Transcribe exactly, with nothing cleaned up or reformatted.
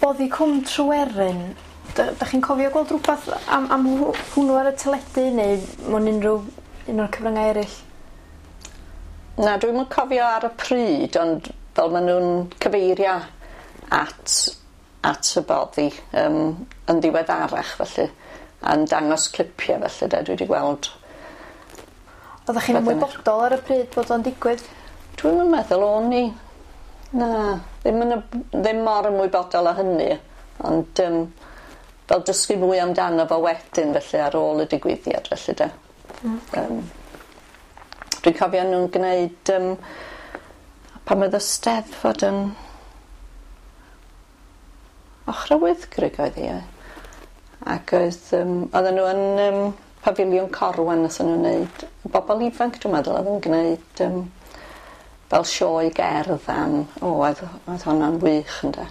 Boddi Cwm Tryweryn, 'dach chi'n cofio gweld rwbath am am hwnnw ar y teledu neu mewn unrhyw un o'r cyfryngau eraill? Na, dwi'm yn cofio ar y pryd ond fel ma' nw'n cyfeirio at at y boddi yym yn ddiweddarach felly a'n dangos clipia felly 'de dwi 'di gweld. Oddach chi'n ymwybodol ar y pryd bod o'n digwydd? Dwi'm yn meddwl o'n i. Na, ddim yn y ddim mor ymwybodol â hynny ond yym fel dysgu mwy amdano fo wedyn felly ar ôl y digwyddiad felly 'de? Hmm. Yym dwi'n cofio nw'n gneud yym pan oedd y Steddfod yn Ochra Wyddgrug oedd hi ie? Ac oedd yym odden n'w yn yym Pafiliwn Corwen nathon n'w neud y bobol ifanc dwi'n meddwl o'dd yn gneud yym fel sioe gerdd am o oedd oedd honna'n wych ynde?